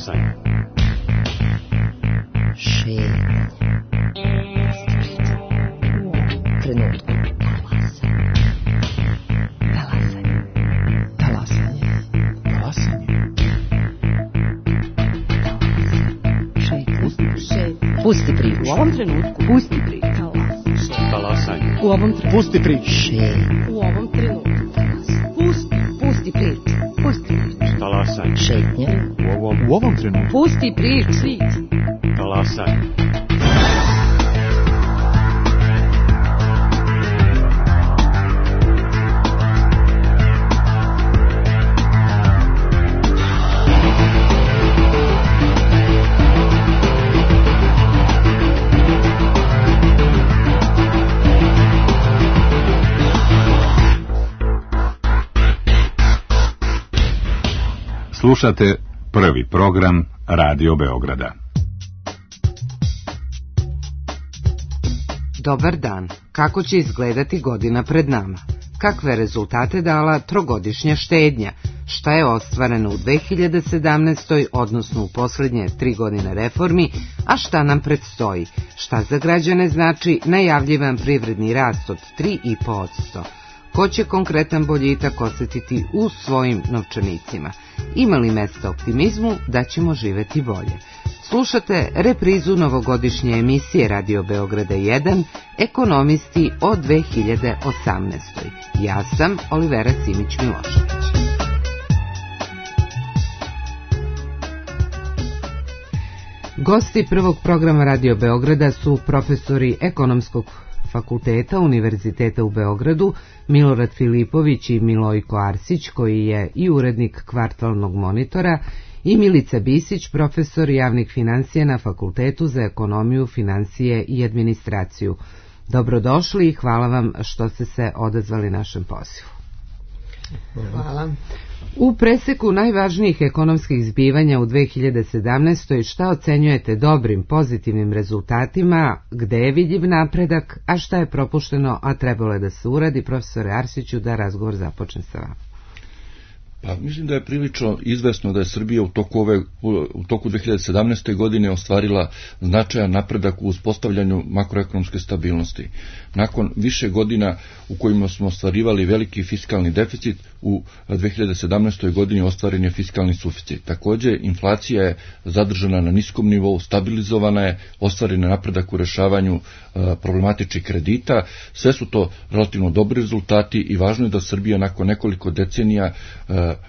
Talasaj. Šetnja. Trenutku. Talasaj. Talasanje. Talasanje. Šetnja. Pusti priču. U ovom trenutku. Pusti priču. Talasaj. U ovom trenutku. Pusti priču. Šetnja. U ovom trenutku. Pusti priču. Pusti priču. Talasaj. Šetnja. U ovom trenutku. Pusti priču. Talasaj. Slušate prvi program Radio Beograda. Dobar dan. Kako će izgledati godina pred nama? Kakve rezultate dala trogodišnja štednja? Šta je ostvareno u 2017. odnosno u posljednje 3 godine reformi, a šta nam predstoji? Šta za građane znači najavljivan privredni rast od 3,5%? Ko će konkretan boljitak osjetiti u svojim novčanicima? Ima li mesta optimizmu da ćemo živjeti bolje? Slušate reprizu novogodišnje emisije Radio Beograda 1, Ekonomisti o 2018. Ja sam Olivera Simić-Milošević. Gosti prvog programa Radio Beograda su profesori Ekonomskog fakulteta Univerziteta u Beogradu, Milorad Filipović i Milojko Arsić, koji je i urednik Kvartalnog monitora, i Milica Bisić, profesor javnih financija na Fakultetu za ekonomiju, financije i administraciju. Dobrodošli i hvala vam što ste se odazvali našem pozivu. Hvala. U preseku najvažnijih ekonomskih zbivanja u 2017. šta ocenjujete dobrim, pozitivnim rezultatima, gde je vidljiv napredak, a šta je propušteno, a trebalo je da se uradi? Profesore Arsiću, da razgovor započne sa vama. Pa mislim da je prilično izvesno da je Srbija u toku 2017. godine ostvarila značajan napredak u uspostavljanju makroekonomske stabilnosti. Nakon više godina u kojima smo ostvarivali veliki fiskalni deficit, u 2017. godini ostvaren je fiskalni suficit. Također, inflacija je zadržana na niskom nivou, stabilizovana je, ostvaren je napredak u rešavanju problematičnih kredita. Sve su to relativno dobri rezultati i važno je da Srbija nakon nekoliko decenija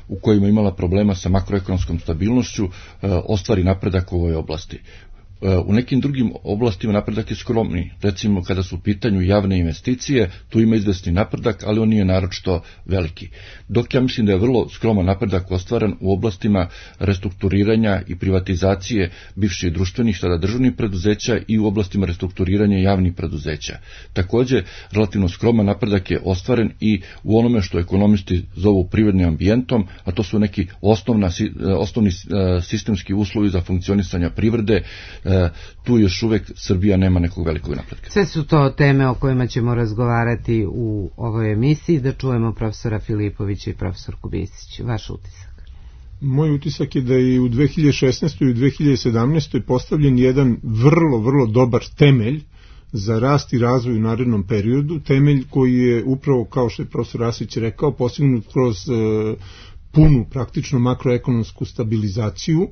u kojima je imala problema sa makroekonomskom stabilnošću ostvari napredak u ovoj oblasti. U nekim drugim oblastima napredak je skromni. Recimo, kada su u pitanju javne investicije, tu ima izvesni napredak, ali on nije naročito veliki. Dok ja mislim da je vrlo skroman napredak ostvaren u oblastima restrukturiranja i privatizacije bivših društvenih, tada državnih preduzeća, i u oblastima restrukturiranja javnih preduzeća. Također, relativno skroman napredak je ostvaren i u onome što ekonomisti zovu privrednim ambijentom, a to su neki osnovni sistemski uslovi za funkcionisanje privrede. Tu još uvek Srbija nema nekog velikog napretka. Sve su to teme o kojima ćemo razgovarati u ovoj emisiji. Da čujemo profesora Filipovića i profesorku Bisić. Vaš utisak? Moj utisak je da je u 2016. i 2017. postavljen jedan vrlo dobar temelj za rast i razvoj u narednom periodu. Temelj koji je upravo, kao što je profesor Arsić rekao, postignut kroz punu praktično makroekonomsku stabilizaciju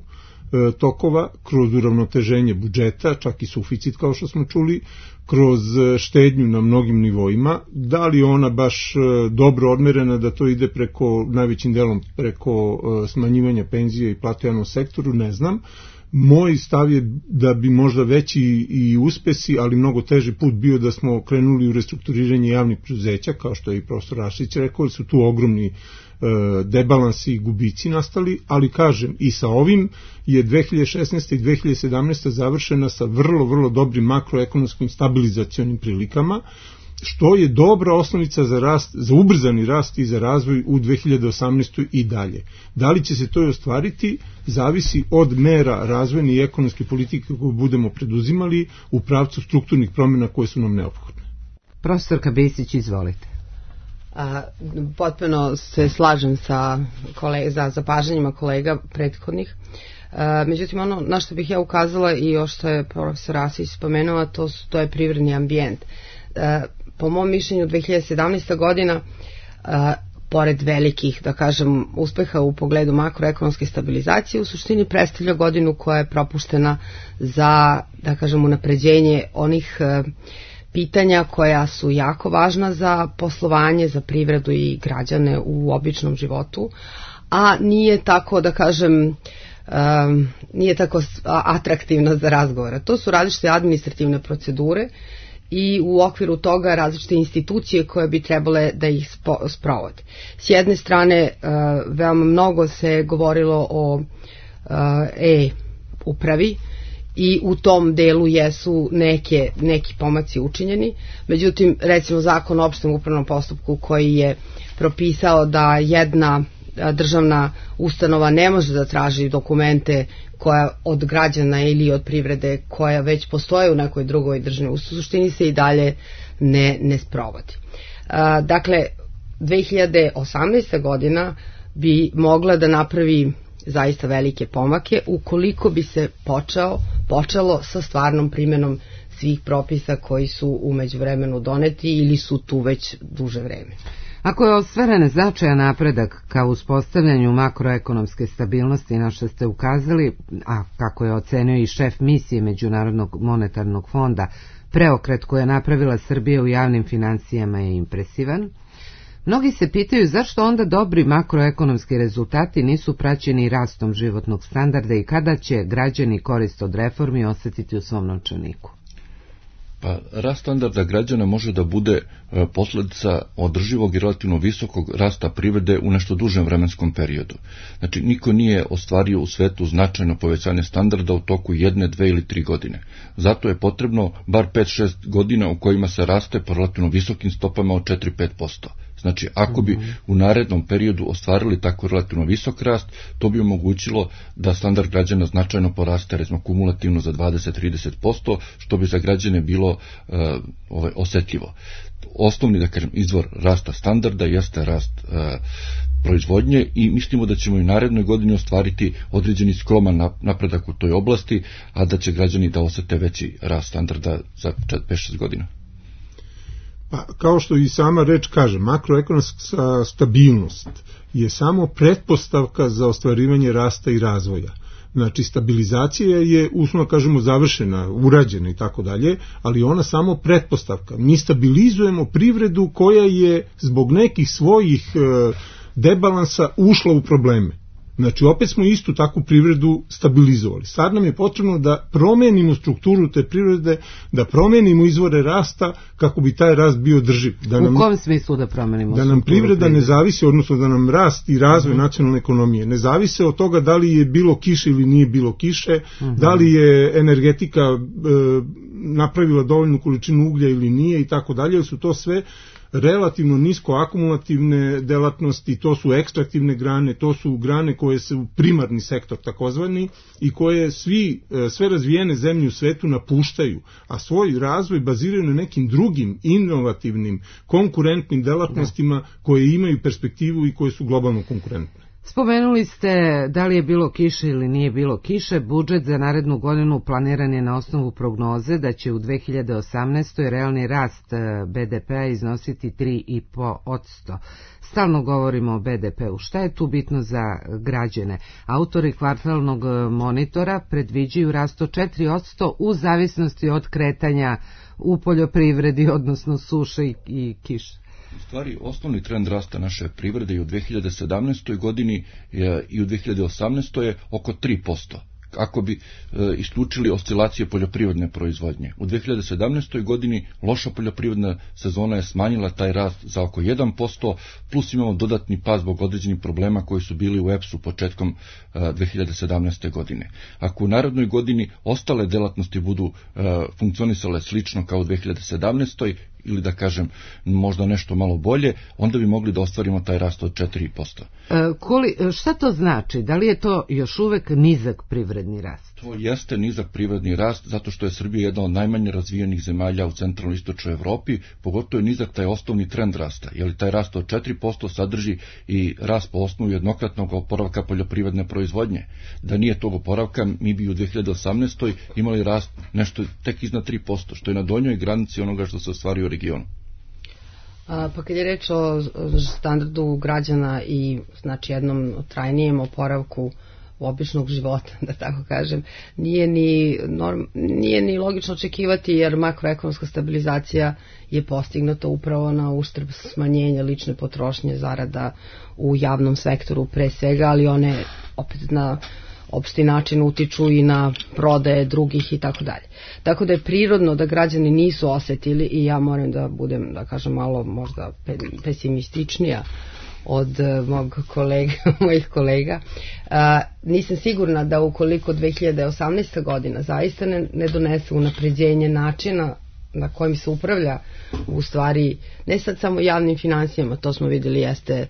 tokova, kroz uravnoteženje budžeta, čak i suficit kao što smo čuli, kroz štednju na mnogim nivoima. Da li ona baš dobro odmerena da to ide najvećim delom preko smanjivanja penzija i plata u javnom sektoru, ne znam. Moj stav je da bi možda veći i uspesi, ali mnogo teži put bio da smo krenuli u restrukturiranje javnih preduzeća, kao što je i profesor Arsić rekao, su tu ogromni debalansi i gubici nastali, ali kažem, i sa ovim je 2016. i 2017. završena sa vrlo dobrim makroekonomskim stabilizacionim prilikama, što je dobra osnovica za rast, za ubrzani rast i za razvoj u 2018. i dalje. Da li će se to i ostvariti, zavisi od mera razvojne i ekonomske politike koje budemo preduzimali u pravcu strukturnih promjena koje su nam neophodne. Profesorka Bisić, izvolite. Potpuno se slažem sa zapažanjima kolega prethodnih. Međutim, ono na što bih ja ukazala i još što je profesor Asić spomenuo, to je privredni ambijent. Po mom mišljenju 2017. godina, pored velikih, da kažem, uspeha u pogledu makroekonomske stabilizacije, u suštini predstavlja godinu koja je propuštena za, da kažem, unapređenje onih pitanja koja su jako važna za poslovanje, za privredu i građane u običnom životu, a nije tako, da kažem, nije tako atraktivna za razgovore. To su različite administrativne procedure i u okviru toga različite institucije koje bi trebale da ih sprovode. S jedne strane, veoma mnogo se govorilo o e-upravi i u tom delu jesu neki pomaci učinjeni. Međutim, recimo Zakon o opštem upravnom postupku koji je propisao da jedna državna ustanova ne može da traži dokumente koja od građana ili od privrede koja već postoje u nekoj drugoj državi, u suštini se i dalje ne sprovodi. Dakle, 2018. godina bi mogla da napravi zaista velike pomake ukoliko bi se počelo sa stvarnom primjenom svih propisa koji su u međuvremenu doneti ili su tu već duže vreme. Ako je ostvaren značajan napredak ka uspostavljanju makroekonomske stabilnosti na što ste ukazali, a kako je ocenio i šef misije Međunarodnog monetarnog fonda, preokret koji je napravila Srbija u javnim financijama je impresivan, mnogi se pitaju zašto onda dobri makroekonomski rezultati nisu praćeni rastom životnog standarda i kada će građani korist od reformi osetiti u svom novčaniku. Pa, rast standarda građana može da bude posljedica održivog i relativno visokog rasta privrede u nešto dužem vremenskom periodu. Znači, niko nije ostvario u svetu značajno povećanje standarda u toku 1, 2 ili 3 godine. Zato je potrebno bar 5-6 godina u kojima se raste po relativno visokim stopama od 4-5%. Znači, ako bi u narednom periodu ostvarili tako relativno visok rast, to bi omogućilo da standard građana značajno poraste, recimo kumulativno za 20-30%, što bi za građane bilo osjetljivo. Osnovni, da kažem, izvor rasta standarda jeste rast proizvodnje i mislimo da ćemo i narednoj godini ostvariti određeni skroman napredak u toj oblasti, a da će građani da osjete veći rast standarda za 5-6 godina. Pa, kao što i sama reč kaže, makroekonomska stabilnost je samo pretpostavka za ostvarivanje rasta i razvoja. Znači, stabilizacija je, uslovno kažemo, završena, urađena i tako dalje, ali ona samo pretpostavka. Mi stabilizujemo privredu koja je zbog nekih svojih debalansa ušla u probleme. Znači, opet smo istu takvu privredu stabilizovali. Sad nam je potrebno da promenimo strukturu te privrede, da promenimo izvore rasta kako bi taj rast bio drživ. U kom smislu da promenimo? Da nam privreda ne zavisi, odnosno da nam rast i razvoj nacionalne ekonomije ne zavise od toga da li je bilo kiše ili nije bilo kiše, da li je energetika napravila dovoljnu količinu uglja ili nije i tako dalje, jer su to sve relativno nisko akumulativne delatnosti, to su ekstraktivne grane, to su grane koje su primarni sektor takozvani i koje sve razvijene zemlje u svetu napuštaju, a svoj razvoj baziraju na nekim drugim inovativnim, konkurentnim delatnostima koje imaju perspektivu i koje su globalno konkurentne. Spomenuli ste da li je bilo kiše ili nije bilo kiše. Budžet za narednu godinu planiran je na osnovu prognoze da će u 2018. realni rast BDP-a iznositi 3,5%. Stalno govorimo o BDP-u. Šta je tu bitno za građane? Autori kvartalnog monitora predviđaju rast od 4% u zavisnosti od kretanja u poljoprivredi, odnosno suše i kiše. U stvari, osnovni trend rasta naše privrede i u 2017. godini i u 2018. je oko 3%. Ako bi isključili oscilacije poljoprivredne proizvodnje. U 2017. godini loša poljoprivredna sezona je smanjila taj rast za oko 1%, plus imamo dodatni pad zbog određenih problema koji su bili u EPS-u početkom 2017. godine. Ako u narednoj godini ostale delatnosti budu funkcionisale slično kao u 2017. ili da kažem možda nešto malo bolje, onda bi mogli da ostvarimo taj rast od 4%. Šta to znači? Da li je to još uvek nizak privredni rast? To jeste nizak privredni rast, zato što je Srbija jedna od najmanje razvijenih zemalja u centralno-istočnoj Evropi, pogotovo je nizak taj osnovni trend rasta, jer taj rast od 4% sadrži i rast po osnovu jednokratnog oporavka poljoprivredne proizvodnje. Da nije tog oporavka, mi bi u 2018. imali rast nešto tek iznad 3%, što je na donjoj granici onoga što se ostvari u regionu. Pa kad je reč o standardu građana i znači jednom trajnijem oporavku običnog života, da tako kažem, nije ni logično očekivati, jer makroekonomska stabilizacija je postignuta upravo na uštrb smanjenja lične potrošnje, zarada u javnom sektoru pre svega, ali one opet na opšti način utiču i na prodaje drugih i tako dalje. Tako da je prirodno da građani nisu osetili, i ja moram da budem, da kažem, malo možda pesimističnija od mojih kolega. Nisam sigurna da ukoliko 2018. godina zaista ne donese unapređenje načina na kojim se upravlja, u stvari ne sad samo javnim finansijama, to smo vidjeli jeste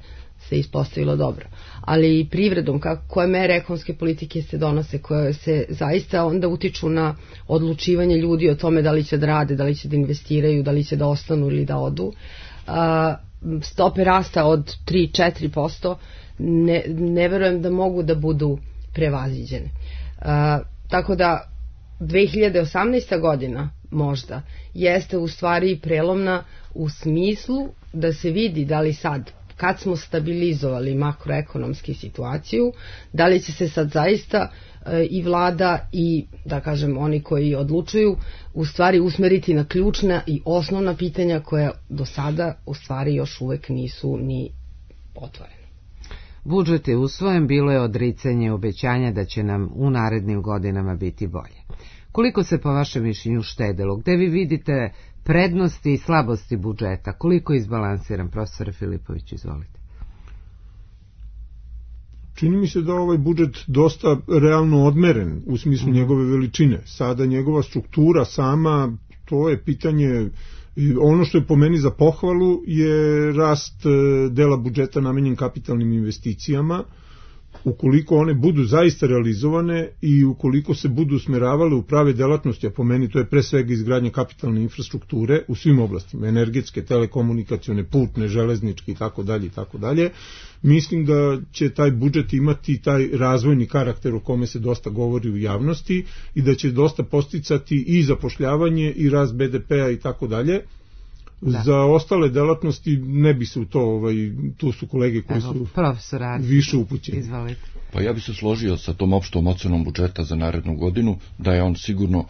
se ispostavilo dobro, ali i privredom, koje mere ekonomske politike se donose, koje se zaista onda utiču na odlučivanje ljudi o tome da li će da rade, da li će da investiraju, da li će da ostanu ili da odu. Stope rasta od 3-4% ne verujem da mogu da budu prevaziđene. Tako da 2018. godina možda jeste u stvari prelomna u smislu da se vidi da li sad, kad smo stabilizovali makroekonomsku situaciju, da li će se sad zaista i vlada i, da kažem, oni koji odlučuju u stvari usmeriti na ključna i osnovna pitanja koja do sada u stvari još uvek nisu ni otvorene. Budžet je usvojen, bilo je odricanje obećanja da će nam u narednim godinama biti bolje. Koliko se po vašem mišljenju štedelo? Gde vi vidite prednosti i slabosti budžeta? Koliko je izbalansiran? Profesor Filipović, izvolite. Čini mi se da ovaj budžet dosta realno odmeren u smislu njegove veličine. Sada njegova struktura sama, to je pitanje. Ono što je po meni za pohvalu je rast dela budžeta namenjen kapitalnim investicijama. Ukoliko one budu zaista realizovane i ukoliko se budu usmeravale u prave delatnosti, a po meni to je pre svega izgradnja kapitalne infrastrukture u svim oblastima, energetske, telekomunikacione, putne, železničke i tako dalje, mislim da će taj budžet imati taj razvojni karakter o kome se dosta govori u javnosti i da će dosta posticati i zapošljavanje i rast BDP-a i tako dalje. Za ostale delatnosti ne bi se u to, tu su kolege koji su više upućeni. Pa ja bi se složio sa tom opštom ocenom budžeta za narednu godinu, da je on sigurno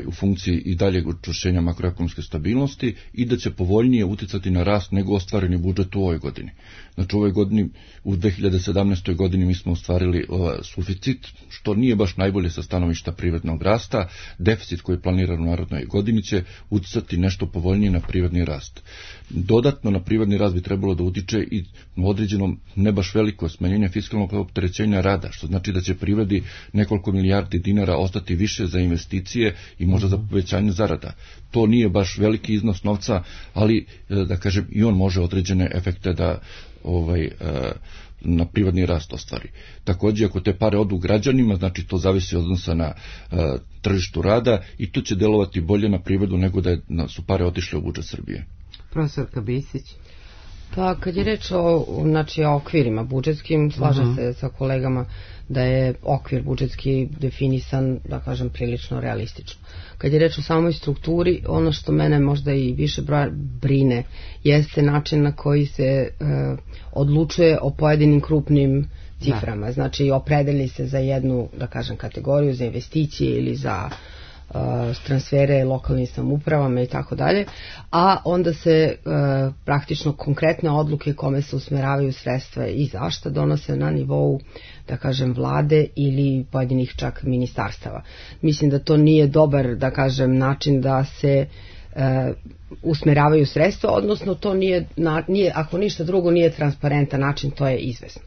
u funkciji i daljeg učvršćenja makroekonomske stabilnosti i da će povoljnije uticati na rast nego ostvareni budžet u ovoj godini. Znači u ovoj godini, u 2017. godini mi smo ostvarili suficit, što nije baš najbolje sa stanovišta privrednog rasta. Deficit koji je planiran u narednoj godini će uticati nešto povoljnije na privredni rast. Dodatno na privredni rast bi trebalo da utiče i određeno ne baš veliko smanjenje fiskalnog opterećenja rada, što znači da će privredi nekoliko milijardi dinara ostati više za investicije i možda za povećanje zarada. To nije baš veliki iznos novca, ali da kažem i on može određene efekte da na privredni rast ostvari. Također, ako te pare odu građanima, znači to zavisi od odnosa na tržištu rada i to će delovati bolje na privredu nego da su pare otišle u budžet Srbije. Profesor Kabisić. Pa kad je reč o okvirima budžetskim, slažem se sa kolegama da je okvir budžetski definisan, da kažem, prilično realistično. Kad je reč o samoj strukturi, ono što mene možda i više brine jeste način na koji se odlučuje o pojedinim krupnim ciframa. Znači opredeli se za jednu, da kažem, kategoriju, za investicije ili za transfere lokalnim samoupravama i tako dalje, a onda se praktično konkretne odluke kome se usmeravaju sredstva i zašta donose na nivou, da kažem, vlade ili pojedinih čak ministarstava. Mislim da to nije dobar, da kažem, način da se usmeravaju sredstva, odnosno to nije, ako ništa drugo, nije transparentan način, to je izvesno.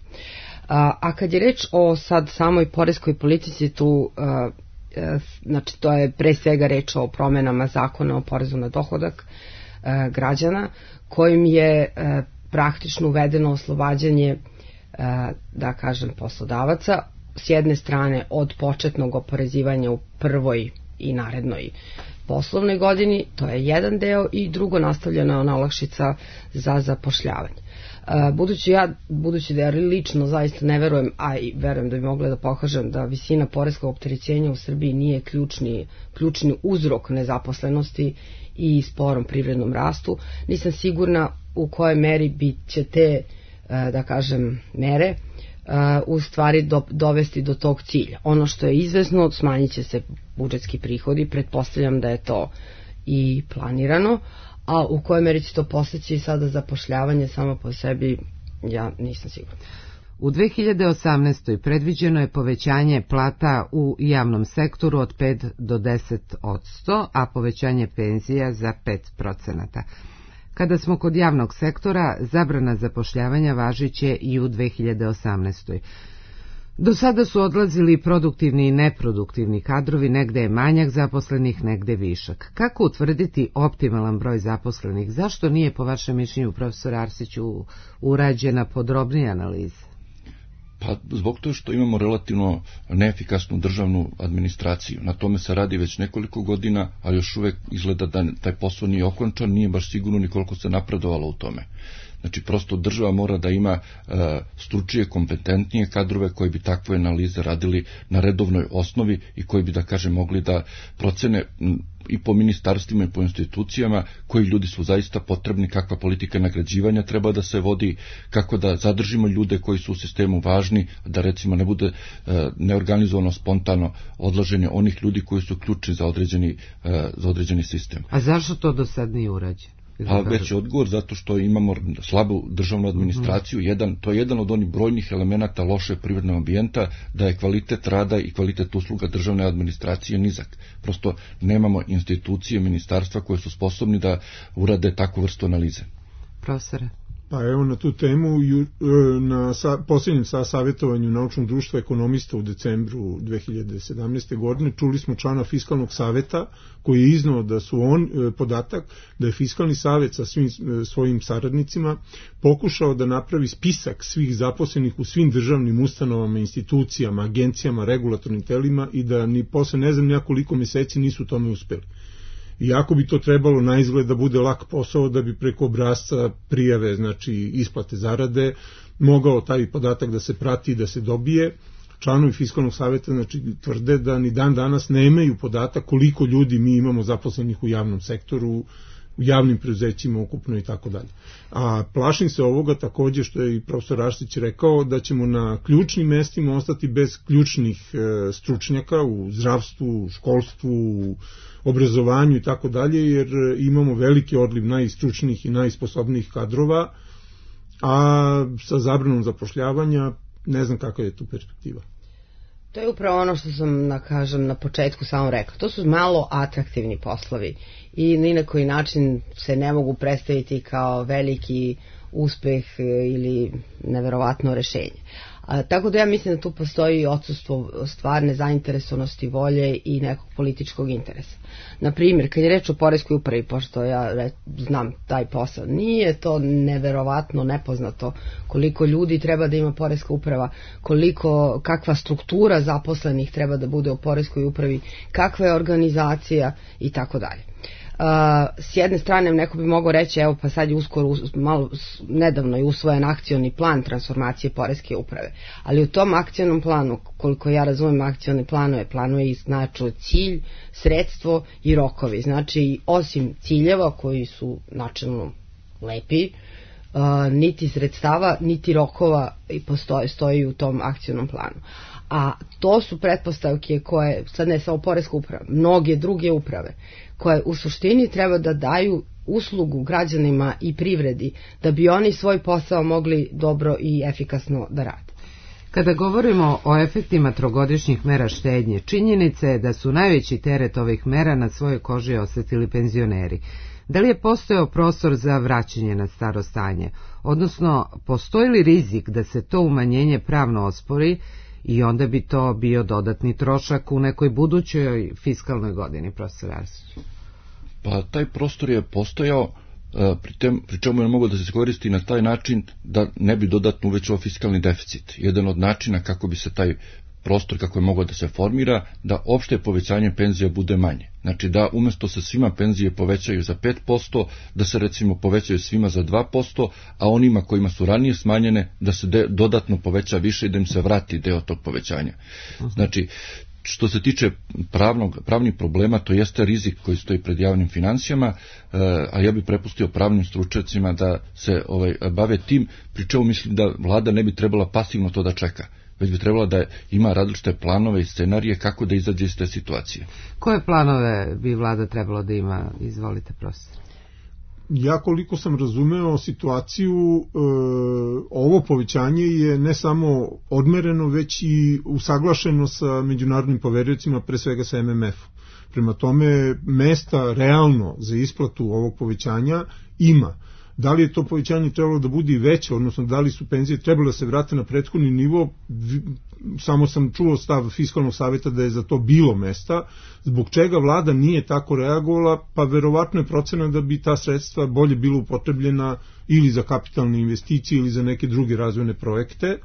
A kad je reč o sad samoj poreskoj politici, tu znači to je pre svega reč o promenama zakona o porezu na dohodak građana, kojim je praktično uvedeno oslobađanje, da kažem, poslodavaca s jedne strane od početnog oporezivanja u prvoj i narednoj poslovnoj godini, to je jedan deo, i drugo nastavljena ona olakšica za zapošljavanje. Budući da ja lično zaista ne verujem, a i verujem da bi mogla da pokažem da visina poreskog opterećenja u Srbiji nije ključni uzrok nezaposlenosti i sporom privrednom rastu, nisam sigurna u kojoj meri bi će te, da kažem, mere u stvari dovesti do tog cilja. Ono što je izvesno, smanjit će se budžetski prihodi, pretpostavljam da je to i planirano, a u kojoj meri će to postići sada zapošljavanje samo po sebi, ja nisam sigurna. U 2018. predviđeno je povećanje plata u javnom sektoru od 5 do 10%, a povećanje penzija za 5%. Kada smo kod javnog sektora, zabrana zapošljavanja važiće i u 2018. Do sada su odlazili produktivni i neproduktivni kadrovi, negde je manjak zaposlenih, negde višak. Kako utvrditi optimalan broj zaposlenih? Zašto nije, po vašem mišljenju, profesor Arsiću, urađena podrobnija analiza? Pa zbog toga što imamo relativno neefikasnu državnu administraciju. Na tome se radi već nekoliko godina, a još uvek izgleda da taj posao nije okončan, nije baš sigurno ni koliko se napredovalo u tome. Znači, prosto država mora da ima stručnije, kompetentnije kadrove koji bi takve analize radili na redovnoj osnovi i koji bi, da kažem, mogli da procene i po ministarstvima i po institucijama koji ljudi su zaista potrebni, kakva politika nagrađivanja treba da se vodi, kako da zadržimo ljude koji su u sistemu važni, da recimo ne bude neorganizovano, spontano odlaženje onih ljudi koji su ključni za određeni sistem. A zašto to do sad nije urađeno? A već je odgovor zato što imamo slabu državnu administraciju, to je jedan od onih brojnih elemenata loše privrednog ambijenta, da je kvalitet rada i kvalitet usluga državne administracije nizak. Prosto nemamo institucije, ministarstva koje su sposobni da urade takvu vrstu analize. Profesore? Pa evo na tu temu, na posljednjem savjetovanju Naučnog društva ekonomista u decembru 2017. godine čuli smo člana Fiskalnog saveta koji je iznao da su podatak da je Fiskalni savet sa svim svojim saradnicima pokušao da napravi spisak svih zaposlenih u svim državnim ustanovama, institucijama, agencijama, regulatornim telima i da ni posle ne znam koliko meseci nisu u tome uspeli. Iako bi to trebalo na izgled da bude lak posao, da bi preko obrasca prijave, znači isplate zarade, mogao taj podatak da se prati i da se dobije. Članovi Fiskalnog saveta znači tvrde da ni dan danas nemaju podatak koliko ljudi mi imamo zaposlenih u javnom sektoru, u javnim preduzećima ukupno i tako dalje. A plašim se ovoga takođe što je i profesor Arsić rekao, da ćemo na ključnim mestima ostati bez ključnih stručnjaka u zdravstvu, školstvu, obrazovanju i tako dalje, jer imamo veliki odliv najstručnijih i najsposobnijih kadrova, a sa zabranom zapošljavanja ne znam kakva je tu perspektiva. To je upravo ono što sam, na početku samo rekla. To su malo atraktivni poslovi i ni na koji način se ne mogu predstaviti kao veliki uspeh ili neverovatno rešenje. Tako da ja mislim da tu postoji odsustvo stvarne zainteresovanosti, volje i nekog političkog interesa. Naprimjer, kad je reč o poreskoj upravi, pošto ja znam taj posao, nije to neverovatno nepoznato koliko ljudi treba da ima poreska uprava, kakva struktura zaposlenih treba da bude u poreskoj upravi, kakva je organizacija i tako dalje. S jedne strane neko bi mogao reći, evo pa sad je uskoro, nedavno je usvojen akcioni plan transformacije poreske uprave, ali u tom akcionom planu, koliko ja razumem akcione planuje i znači cilj, sredstvo i rokovi. Znači osim ciljeva koji su načelno lepi, niti sredstava niti rokova stoji u tom akcionom planu. A to su pretpostavke koje, sad ne samo poreska uprava, mnoge druge uprave, koje u suštini treba da daju uslugu građanima i privredi, da bi oni svoj posao mogli dobro i efikasno da rade. Kada govorimo o efektima trogodišnjih mera štednje, činjenica je da su najveći teret ovih mera na svojoj koži osetili penzioneri. Da li je postojao prostor za vraćanje na staro stanje? Odnosno, postoji li rizik da se to umanjenje pravno ospori i onda bi to bio dodatni trošak u nekoj budućoj fiskalnoj godini, profesor Arsić? Pa taj prostor je postojao, pri čemu je mogao da se koristi na taj način da ne bi dodatno uvećao fiskalni deficit. Jedan od načina kako bi se taj prostor kako je mogao da se formira, da opšte povećanje penzija bude manje. Znači da umjesto se svima penzije povećaju za 5%, da se recimo povećaju svima za 2%, a onima kojima su ranije smanjene da se dodatno poveća više i da im se vrati deo tog povećanja. Znači, što se tiče pravnih problema, to jeste rizik koji stoji pred javnim financijama, a ja bih prepustio pravnim stručnjacima da se bave tim, pri čemu mislim da vlada ne bi trebala pasivno to da čeka, već bi trebala da ima različite planove i scenarije kako da izađe iz te situacije. Koje planove bi vlada trebalo da ima? Izvolite, profesor. Ja koliko sam razumeo situaciju, ovo povećanje je ne samo odmereno, već i usaglašeno sa međunarodnim poveriocima, pre svega sa MMF-om. Prema tome, mesta realno za isplatu ovog povećanja ima. Da li je to povećanje trebalo da bude i veće, odnosno da li su penzije trebalo da se vrate na prethodni nivo, samo sam čuo stav Fiskalnog saveta da je za to bilo mesta. Zbog čega vlada nije tako reagovala? Pa verovatno je procena da bi ta sredstva bolje bilo upotrebljena ili za kapitalne investicije ili za neke druge razvojne projekte.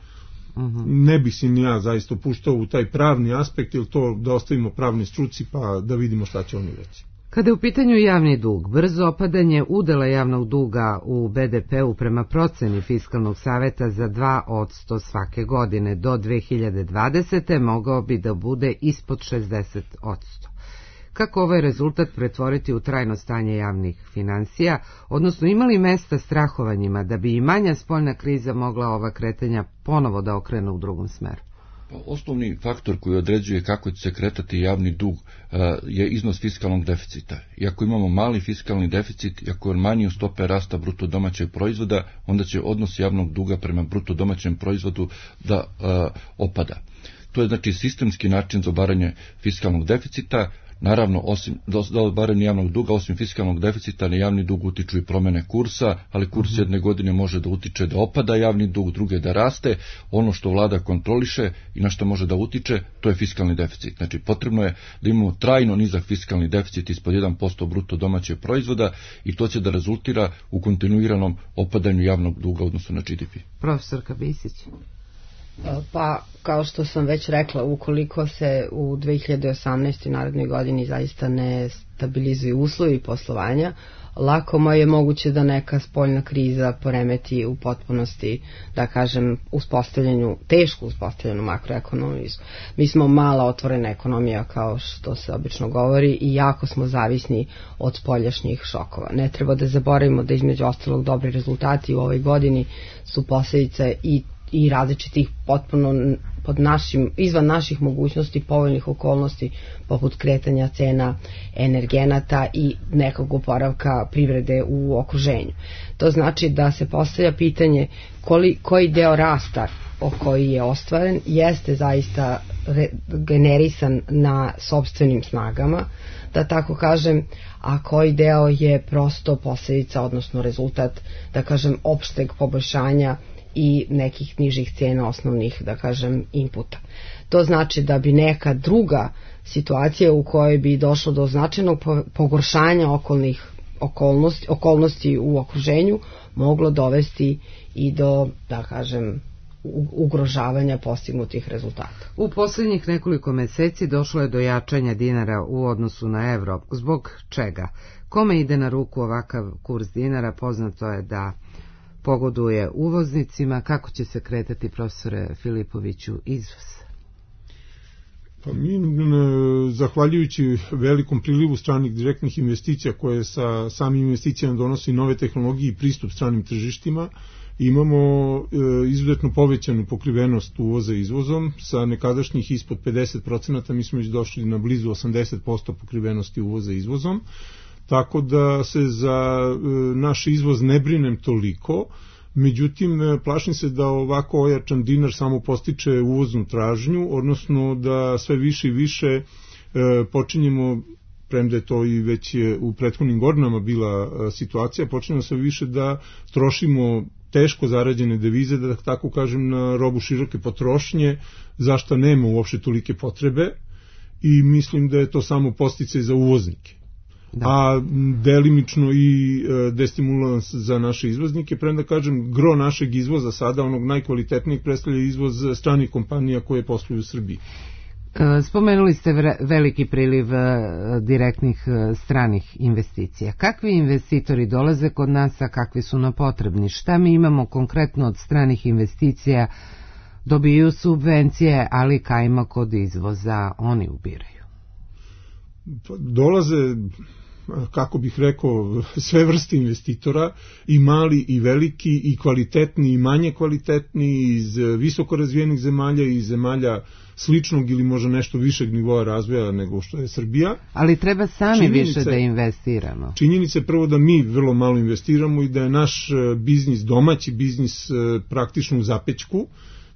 Ne bih se ni ja zaista upuštao u taj pravni aspekt, ili to da ostavimo pravni struci pa da vidimo šta će oni reći. Kada je u pitanju javni dug, brzo opadanje udela javnog duga u BDP-u prema proceni Fiskalnog saveta za 2% svake godine do 2020. mogao bi da bude ispod 60%. Kako ovaj rezultat pretvoriti u trajno stanje javnih finansija, odnosno ima li mesta strahovanjima da bi i manja spoljna kriza mogla ova kretanja ponovo da okrene u drugom smeru? Osnovni faktor koji određuje kako će se kretati javni dug je iznos fiskalnog deficita. I ako imamo mali fiskalni deficit, i ako je manji u stope rasta bruto domaćeg proizvoda, onda će odnos javnog duga prema bruto domaćem proizvodu da opada. To je znači sistemski način za obaranje fiskalnog deficita. Naravno, osim da obaranje javnog duga, osim fiskalnog deficita, na javni dug utiču i promene kursa, ali kurs jedne godine može da utiče da opada javni dug, druge da raste. Ono što vlada kontroliše i na što može da utiče, to je fiskalni deficit. Znači, potrebno je da imamo trajno nizak fiskalni deficit ispod 1% bruto domaćeg proizvoda i to će da rezultira u kontinuiranom opadanju javnog duga odnosno na GDP. Profesorka Bisić. Pa, kao što sam već rekla, ukoliko se u 2018. narednoj godini zaista ne stabilizuju uslovi poslovanja, lako je moguće da neka spoljna kriza poremeti u potpunosti, da kažem, tešku uspostavljenu makroekonomiju. Mi smo mala otvorena ekonomija, kao što se obično govori, i jako smo zavisni od spoljašnjih šokova. Ne treba da zaboravimo da između ostalog dobri rezultati u ovoj godini su posljedice i različitih potpuno izvan naših mogućnosti povoljnih okolnosti, poput kretanja cena energenata i nekog oporavka privrede u okruženju. To znači da se postavlja pitanje koji deo rasta koji je ostvaren jeste zaista generisan na sopstvenim snagama, da tako kažem, a koji deo je prosto posljedica, odnosno rezultat, da kažem, opšteg poboljšanja i nekih nižih cena osnovnih, da kažem, inputa. To znači da bi neka druga situacija u kojoj bi došlo do značajnog pogoršanja okolnosti u okruženju moglo dovesti i do, da kažem, ugrožavanja postignutih rezultata. U posljednjih nekoliko meseci došlo je do jačanja dinara u odnosu na evro. Zbog čega? Kome ide na ruku ovakav kurs dinara? Poznato je da pogoduje uvoznicima. Kako će se kretati, profesore Filipoviću, izvoz? Pa mi, zahvaljujući velikom prilivu stranih direktnih investicija koje sa samim investicijama donosi nove tehnologije i pristup stranim tržištima, imamo izuzetno povećanu pokrivenost uvoza izvozom. Sa nekadašnjih ispod 50%, mi smo već došli na blizu 80% pokrivenosti uvoza izvozom. Tako da se za naš izvoz ne brinem toliko, međutim plašim se da ovako ojačan dinar samo postiče uvoznu tražnju, odnosno da sve više i više počinjemo, premda je to i već u prethodnim godinama bila situacija, počinjemo sve više da trošimo teško zarađene devize, da tako kažem, na robu široke potrošnje, za što nema uopšte tolike potrebe, i mislim da je to samo podsticaj za uvoznike. a delimično i destimulans za naše izvoznike, premda kažem, gro našeg izvoza sada, onog najkvalitetnijeg, predstavlja izvoz stranih kompanija koje posluju u Srbiji. Spomenuli ste veliki priliv direktnih stranih investicija. Kakvi investitori dolaze kod nas, a kakvi su nam potrebni? Šta mi imamo konkretno od stranih investicija? Dobiju subvencije, ali kajma kod izvoza oni ubiraju. Dolaze, kako bih rekao, sve vrste investitora, i mali i veliki, i kvalitetni i manje kvalitetni, iz visoko razvijenih zemalja i zemalja sličnog ili možda nešto višeg nivoa razvoja nego što je Srbija. Ali treba sami više da investiramo. Činjenica je prvo da mi vrlo malo investiramo i da je naš biznis, domaći biznis, praktično u zapećku,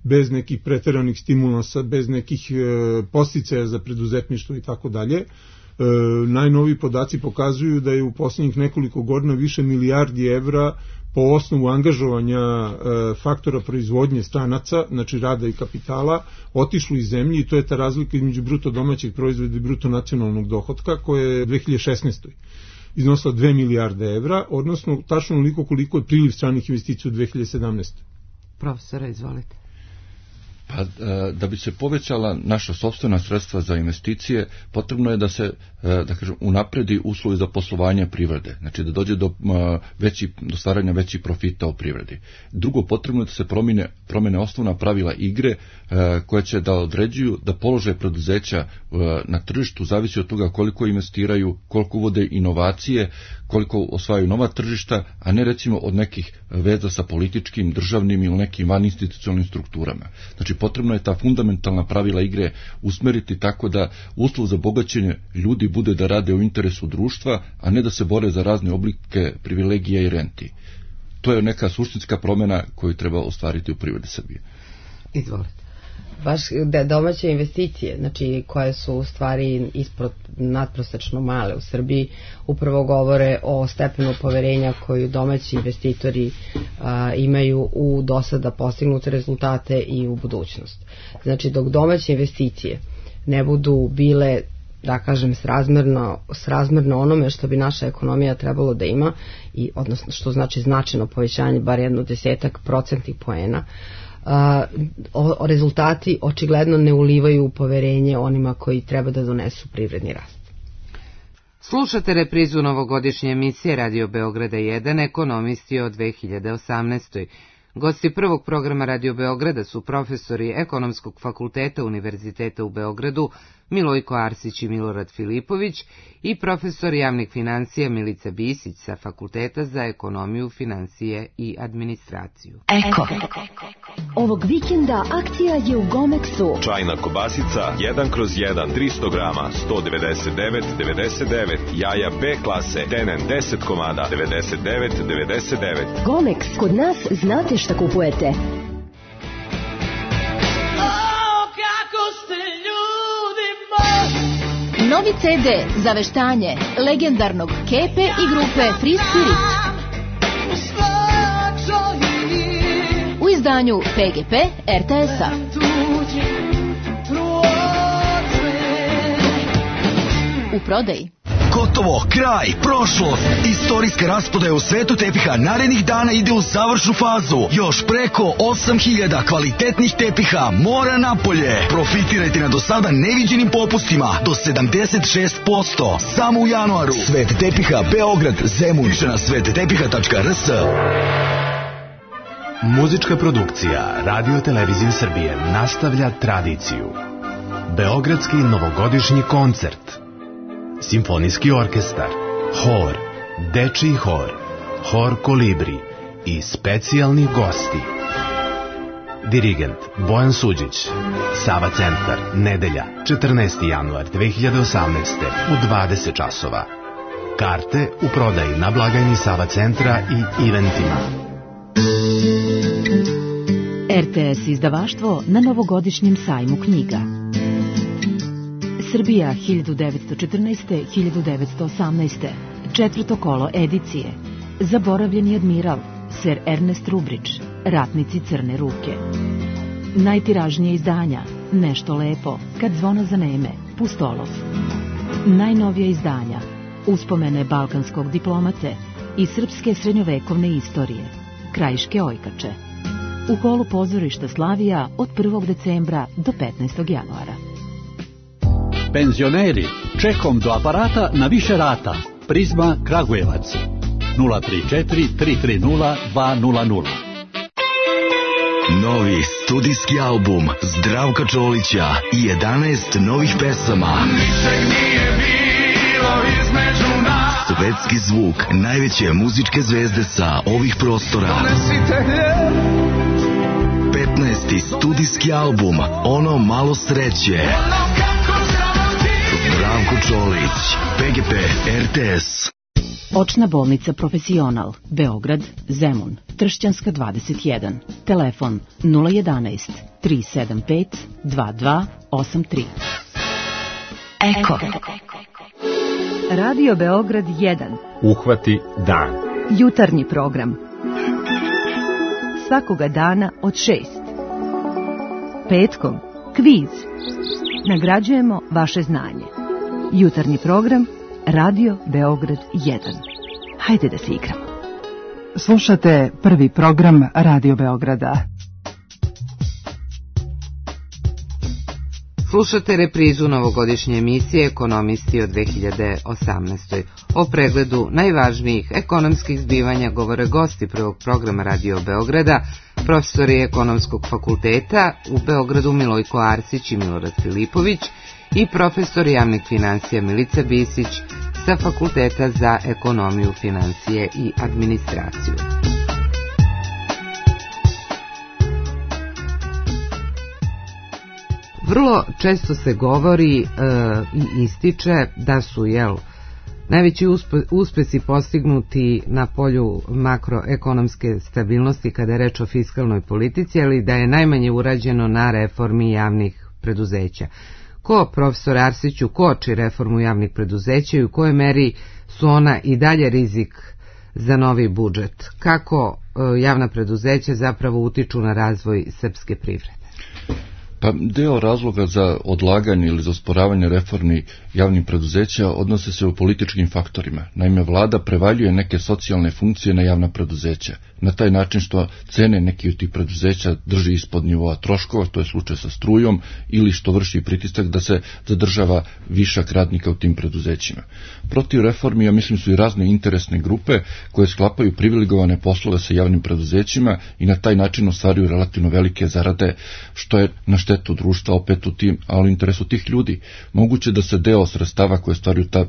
bez nekih preteranih stimulansa, bez nekih podsticaja za preduzetništvo i tako dalje. Najnoviji podaci pokazuju da je u posljednjih nekoliko godina više milijardi evra po osnovu angažovanja faktora proizvodnje stranaca, znači rada i kapitala, otišlo iz zemlje, i to je ta razlika između bruto domaćeg proizvoda i bruto nacionalnog dohotka, koja je 2016. iznosila 2 milijarde evra, odnosno tačno onoliko koliko je priliv stranih investicija u 2017. Profesora, izvolite. Pa, da bi se povećala naša sopstvena sredstva za investicije, potrebno je da se, da kažem, unapredi uslovi za poslovanje privrede, znači da dođe do stvaranja većih profita u privredi. Drugo, potrebno je da se promene osnovna pravila igre koja će da određuju da položaj preduzeća na tržištu zavisi od toga koliko investiraju, koliko uvode inovacije, koliko osvajaju nova tržišta, a ne recimo od nekih veza sa političkim, državnim ili nekim vaninstitucionalnim strukturama. Znači, potrebno je ta fundamentalna pravila igre usmeriti tako da uslov za bogaćenje ljudi bude da rade u interesu društva, a ne da se bore za razne oblike privilegija i renti. To je neka suštinska promjena koju treba ostvariti u privredi Srbije. Izvolite. Baš domaće investicije, znači koje su u stvari ispod nadprosečno male u Srbiji, upravo govore o stepenu poverenja koju domaći investitori imaju u dosada postignute rezultate i u budućnost. Znači, dok domaće investicije ne budu bile, da kažem, srazmerno onome što bi naša ekonomija trebalo da ima, i odnosno što znači značajno povećanje, bar 10% poena, rezultati očigledno ne ulivaju poverenje onima koji treba da donesu privredni rast. Slušate reprizu novogodišnje emisije Radio Beograda 1, ekonomisti o 2018. Gosti prvog programa Radio Beograda su profesori Ekonomskog fakulteta Univerziteta u Beogradu Milojko Arsić i Milorad Filipović i profesor javnih financija Milica Bisić sa Fakulteta za ekonomiju, financije i administraciju. Eko. Ovog vikenda akcija je u Gomexu. Čajna kobasica 1/1, 300 grama, 199,99. Jaja B klase, tenen 10 komada, 99,99. Gomex, kod nas znate šta kupujete. Novi CD za veštanje legendarnog Kepe i grupe Free Spirit u izdanju PGP RTS-a. U prodaji. Gotovo, kraj, prošlost. Istorijska rasprodaja u svetu tepiha narednih dana ide u završnu fazu. Još preko 8000 kvalitetnih tepiha mora napolje. Profitirajte na do sada neviđenim popustima do 76%. Samo u januaru. Svet tepiha Beograd, Zemun. Više na svettepiha.rs. Muzička produkcija Radio Televizije Srbije nastavlja tradiciju. Beogradski novogodišnji koncert. Simfonijski orkestar, hor, dečiji hor, hor Kolibri i specijalni gosti. Dirigent Bojan Suđić. Sava centar, nedelja, 14. januar 2018. u 20 časova. Karte u prodaji na blagajni Sava centra i eventima. RTS izdavaštvo na novogodišnjem sajmu knjiga. Srbija 1914-1918. Četvrto kolo edicije. Zaboravljeni admiral, Sir Ernest Rubrić, Ratnici crne ruke. Najtiražnije izdanja, Nešto lepo, Kad zvona zaneme, Pustolov. Najnovija izdanja, uspomene balkanskog diplomate i srpske srednjovekovne istorije, Krajiške ojkače, u holu pozorišta Slavija od 1. decembra do 15. januara. Penzioneri, čekom do aparata na više rata. Prizma Kragujevac 034 330 200. Novi studijski album Zdravka Čolića i 11 novih pesama. Svetski zvuk najveće muzičke zvezde sa ovih prostora. 15. studijski album Ono malo sreće. Zdravko Čolić, PGP RTS. Očna bolnica Profesional, Beograd, Zemun, Tršćanska 21, telefon 011 375 2283. Eko. Radio Beograd 1. Uhvati dan. Jutarnji program. Svakoga dana od 6. Petkom, kviz. Nagrađujemo vaše znanje. Jutarnji program Radio Beograd 1. Hajde da se igramo. Slušate prvi program Radio Beograda. Slušate reprizu novogodišnje emisije Ekonomisti od 2018. O pregledu najvažnijih ekonomskih zbivanja govore gosti prvog programa Radio Beograda, profesori Ekonomskog fakulteta u Beogradu Milojko Arsić i Milorad Filipović i profesor javnih financija Milica Bisić sa Fakulteta za ekonomiju, financije i administraciju. Vrlo često se govori i ističe da su najveći uspesi postignuti na polju makroekonomske stabilnosti kada je reč o fiskalnoj politici, ali da je najmanje urađeno na reformi javnih preduzeća. Ko, profesor Arsiću, koči reformu javnih preduzeća i u kojoj meri su ona i dalje rizik za novi budžet? Kako javna preduzeća zapravo utiču na razvoj srpske privrede? Pa deo razloga za odlaganje ili za osporavanje reformi javnih preduzeća odnose se u političkim faktorima. Naime, vlada prevaljuje neke socijalne funkcije na javna preduzeća. Na taj način što cene neki od tih preduzeća drži ispod nivoa troškova, to je slučaj sa strujom, ili što vrši pritisak da se zadržava višak radnika u tim preduzećima. Protiv reformi, ja mislim, su i razne interesne grupe koje sklapaju privilegovane poslove sa javnim preduzećima i na taj način ostvaruju relativno velike zarade, što je na štetu društva opet u tim, ali u interesu tih ljudi. Moguće da se deo sredstava koje stvaraju ta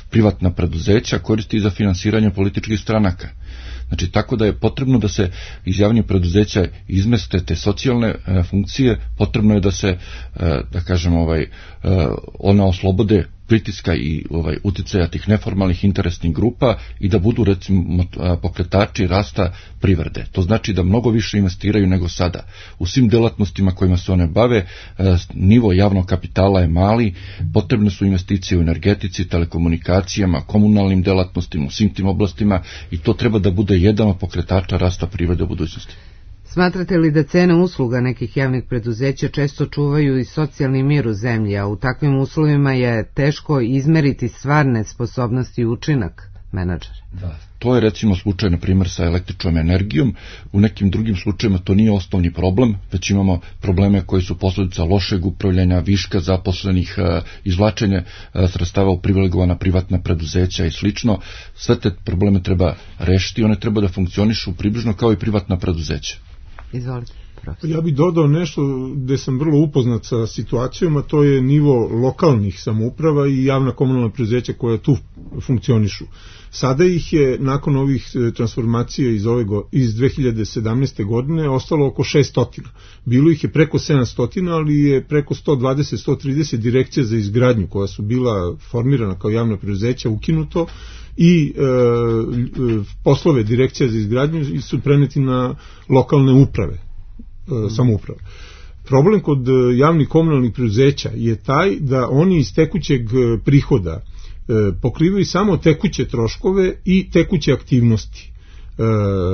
privatna preduzeća koristi za finansiranje političkih stranaka. Znači, tako da je potrebno da se iz javnih preduzeća izmeste te socijalne funkcije, potrebno je da se, da kažem, ona oslobode pritiska i uticaja tih neformalnih interesnih grupa i da budu, recimo, pokretači rasta privrede. To znači da mnogo više investiraju nego sada. U svim delatnostima kojima se one bave, nivo javnog kapitala je mali, potrebne su investicije u energetici, telekomunikacijama, komunalnim delatnostima, u svim tim oblastima i to treba da bude jedan od pokretača rasta privrede u budućnosti. Smatrate li da cene usluga nekih javnih preduzeća često čuvaju i socijalni mir u zemlji, a u takvim uslovima je teško izmeriti stvarne sposobnosti i učinak menadžera? Da, to je recimo slučaj, na primjer, sa električnom energijom. U nekim drugim slučajima to nije osnovni problem, već imamo probleme koji su posljedica lošeg upravljanja, viška zaposlenih, izvlačenja sredstava u privilegovana privatna preduzeća i slično. Sve te probleme treba rešiti, one treba da funkcionišu približno kao i privatna preduzeća. Izvolite, profesor. Ja bih dodao nešto gde sam vrlo upoznat sa situacijom, a to je nivo lokalnih samouprava i javna komunalna preduzeća koja tu funkcionišu. Sada ih je, nakon ovih transformacija iz 2017. godine, ostalo oko 600. Bilo ih je preko 700, ali je preko 120-130 direkcija za izgradnju koja su bila formirana kao javna preduzeća ukinuto i poslove direkcija za izgradnju su preneti na lokalne uprave, samouprave. Problem kod javnih komunalnih preduzeća je taj da oni iz tekućeg prihoda pokrivaju samo tekuće troškove i tekuće aktivnosti.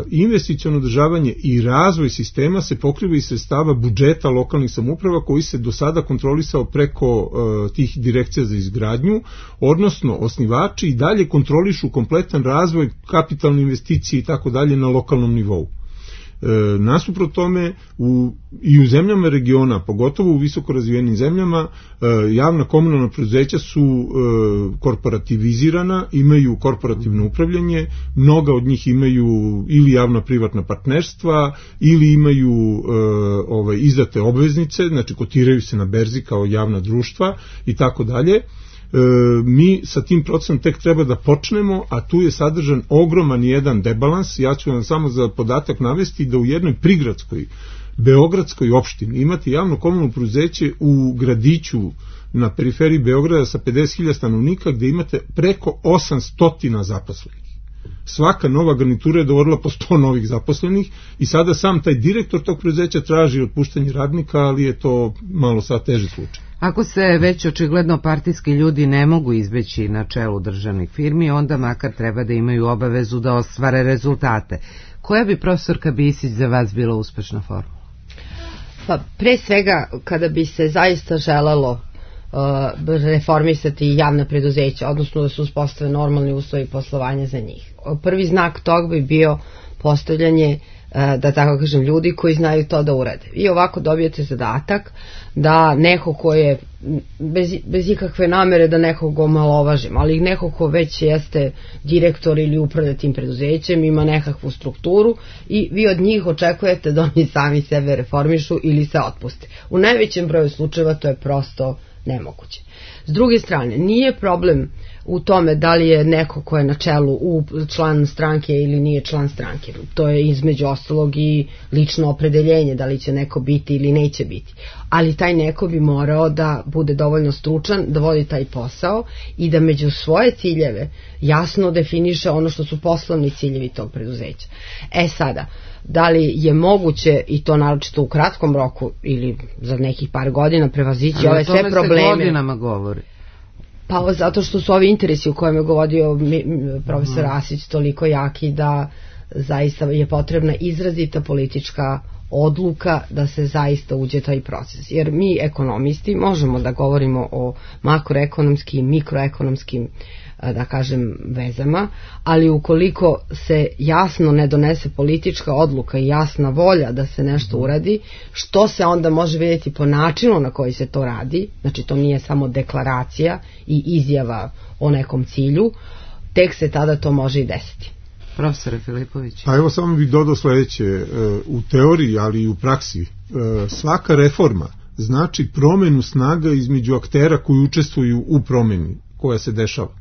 investiciono održavanje i razvoj sistema se pokriva iz sredstava budžeta lokalnih samouprava koji se do sada kontrolisao preko tih direkcija za izgradnju, odnosno osnivači i dalje kontrolišu kompletan razvoj, kapitalne investicije i tako dalje na lokalnom nivou. Nasuprot tome i u zemljama regiona, pogotovo u visoko razvijenim zemljama, javna komunalna preduzeća su korporativizirana, imaju korporativno upravljanje, mnoga od njih imaju ili javna privatna partnerstva ili imaju izdate obveznice, znači kotiraju se na berzi kao javna društva i tako dalje. Mi sa tim procesom tek treba da počnemo, a tu je sadržan ogroman jedan debalans. Ja ću vam samo za podatak navesti da u jednoj prigradskoj beogradskoj opštini imate javno komunalno preduzeće u gradiću na periferiji Beograda sa 50.000 stanovnika gde imate preko 800 zaposlenih. Svaka nova garnitura je dovodila po 100 novih zaposlenih i sada sam taj direktor tog preduzeća traži otpuštanje radnika, ali je to malo sad teži slučaj. Ako se već očigledno partijski ljudi ne mogu izbeći na čelu državnih firmi, onda makar treba da imaju obavezu da ostvare rezultate. Koja bi, profesorka Bisić, za vas bila uspešna formula? Pa pre svega, kada bi se zaista želelo reformisati javna preduzeća, odnosno da se uspostave normalni uslovi poslovanja za njih. Prvi znak tog bi bio postavljanje, da tako kažem, ljudi koji znaju to da urade. I ovako dobijete zadatak da neko ko je, bez ikakve namere da nekog omalovažim, ali neko ko već jeste direktor ili upravlja tim preduzećem, ima nekakvu strukturu i vi od njih očekujete da oni sami sebe reformišu ili se otpuste. U najvećem broju slučajeva to je prosto nemoguće. S druge strane, nije problem u tome da li je neko ko je na čelu član stranke ili nije član stranke. To je između ostalog i lično opredeljenje da li će neko biti ili neće biti. Ali taj neko bi morao da bude dovoljno stručan, da vodi taj posao i da među svoje ciljeve jasno definiše ono što su poslovni ciljevi tog preduzeća. Sada, da li je moguće, i to naročito u kratkom roku ili za nekih par godina, prevazići ove sve probleme? Se godinama govori. Pa zato što su ovi interesi u kojem je govorio profesor Asić toliko jaki da zaista je potrebna izrazita politička odluka da se zaista uđe taj proces. Jer mi ekonomisti možemo da govorimo o makroekonomskim, mikroekonomskim, da kažem, vezama, ali ukoliko se jasno ne donese politička odluka i jasna volja da se nešto uradi, što se onda može vidjeti po načinu na koji se to radi, znači to nije samo deklaracija i izjava o nekom cilju, tek se tada to može i desiti. Profesore Filipović. A evo samo bih dodao sledeće, u teoriji, ali i u praksi, svaka reforma znači promenu snaga između aktera koji učestvuju u promeni koja se dešava.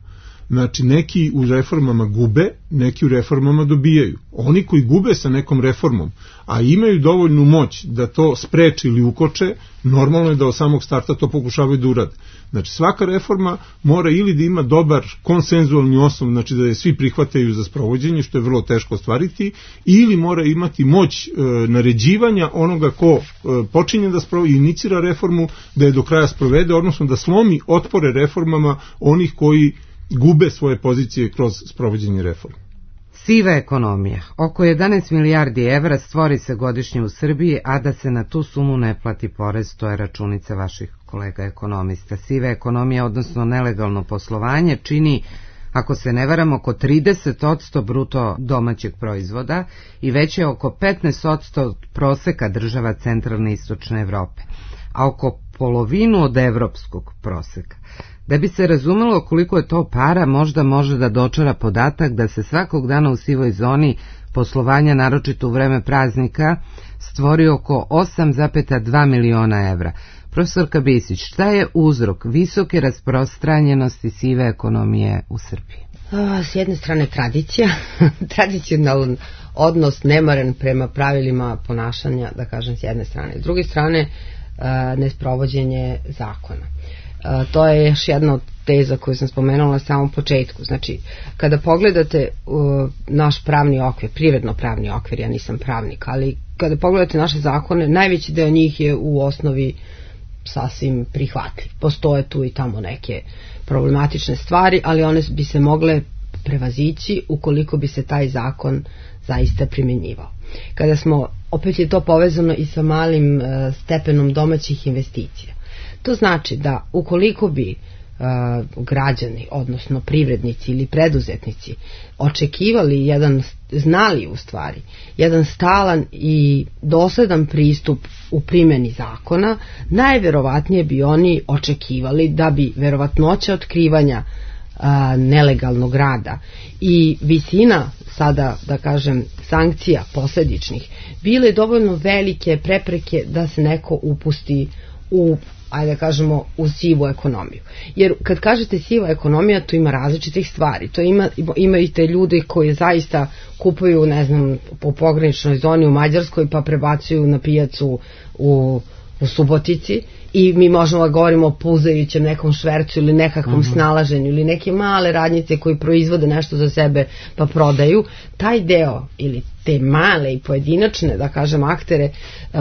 Znači, neki u reformama gube, neki u reformama dobijaju. Oni koji gube sa nekom reformom, a imaju dovoljnu moć da to spreči ili ukoče, normalno je da od samog starta to pokušavaju da urade. Znači, svaka reforma mora ili da ima dobar konsenzualni osnov, znači da je svi prihvataju za sprovođenje, što je vrlo teško ostvariti, ili mora imati moć naređivanja onoga ko počinje da inicira reformu, da je do kraja sprovede, odnosno da slomi otpore reformama onih koji gube svoje pozicije kroz sprovođenje reforme. Siva ekonomija. Oko 11 milijardi evra stvori se godišnje u Srbiji, a da se na tu sumu ne plati porez, to je računica vaših kolega ekonomista. Siva ekonomija, odnosno nelegalno poslovanje, čini, ako se ne varam, oko 30% bruto domaćeg proizvoda i već je oko 15% proseka država centralne i istočne Evrope, a oko polovinu od evropskog proseka. Da bi se razumelo koliko je to para, možda može da dočara podatak da se svakog dana u sivoj zoni poslovanja, naročito u vreme praznika, stvori oko 8,2 miliona evra. Profesorka Bisić, šta je uzrok visoke rasprostranjenosti sive ekonomije u Srbiji? S jedne strane tradicija, tradicionalan odnos nemaran prema pravilima ponašanja, da kažem, s jedne strane. S druge strane, nesprovođenje zakona. To je još jedna od teza koju sam spomenula na samom početku. Znači, kada pogledate naš pravni okvir, privredno pravni okvir, ja nisam pravnik, ali kada pogledate naše zakone, najveći deo njih je u osnovi sasvim prihvatljiv. Postoje tu i tamo neke problematične stvari, ali one bi se mogle prevazići ukoliko bi se taj zakon zaista primjenjivao. Kada smo, opet je to povezano i sa malim stepenom domaćih investicija. To znači da ukoliko bi građani, odnosno privrednici ili preduzetnici očekivali znali u stvari jedan stalan i dosledan pristup u primjeni zakona, najverovatnije bi oni očekivali da bi verovatnoća otkrivanja nelegalnog rada i visina, sada da kažem, sankcija posledičnih bile dovoljno velike prepreke da se neko upusti u, ajde da kažemo, u sivu ekonomiju. Jer kad kažete siva ekonomija, to ima različitih stvari. To ima i te ljude koji zaista kupuju, ne znam, po pograničnoj zoni u Mađarskoj pa prebacuju na pijacu u Subotici i mi možemo da govorimo o puzajućem nekom švercu ili nekakvom snalaženju ili neke male radnjice koji proizvode nešto za sebe pa prodaju. Taj deo ili te male i pojedinačne, da kažem, aktere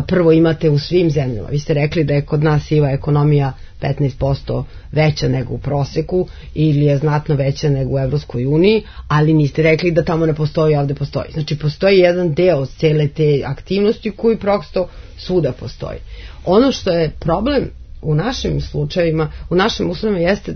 prvo imate u svim zemljama. Vi ste rekli da je kod nas siva ekonomija 15% veća nego u proseku ili je znatno veća nego u Evropskoj uniji, ali niste rekli da tamo ne postoji, ovde postoji. Znači postoji jedan deo cele te aktivnosti koji prosto svuda postoji. Ono što je problem u našim slučajevima, u našim uslovima jeste